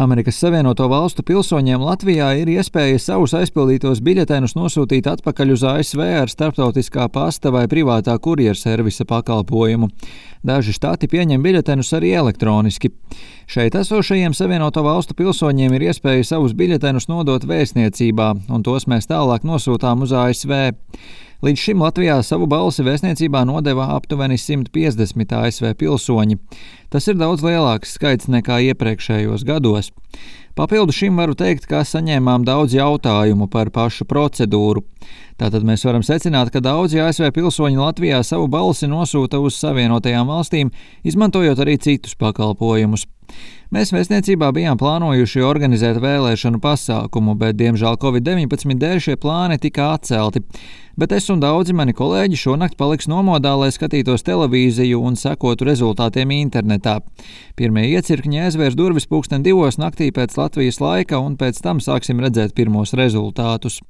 Amerikas Savienoto Valstu pilsoņiem Latvijā ir iespēja savus aizpildītos biļetenus nosūtīt atpakaļ uz ASV ar starptautiskā pasta vai privātā kurjerservisa pakalpojumu. Daži štati pieņem biļetenus arī elektroniski. Šeit esošajiem Savienoto Valstu pilsoņiem ir iespēja savus biļetenus nodot vēstniecībā, un tos mēs tālāk nosūtām uz ASV. Līdz šim Latvijā savu balsi vēstniecībā nodeva aptuveni 150 ASV pilsoņi. Tas ir daudz lielāks skaits nekā iepriekšējos gados. Papildu šim varu teikt, ka saņēmām daudz jautājumu par pašu procedūru. Tātad mēs varam secināt, ka daudzi ASV pilsoņi Latvijā savu balsi nosūta uz Savienotajām valstīm, izmantojot arī citus pakalpojumus. Mēs vēstniecībā bijām plānojuši organizēt vēlēšanu pasākumu, bet diemžēl Covid-19 dēļ šie plāni tika atcelti. Bet es un daudzi mani kolēģi šonakt paliks nomodā, lai skatītos televīziju un sekotu rezultātiem internetā. Pirmie iecirkņi aizvērs durvis 2:00 naktī pēc Latvijas laika, un pēc tam sāksim redzēt pirmos rezultātus.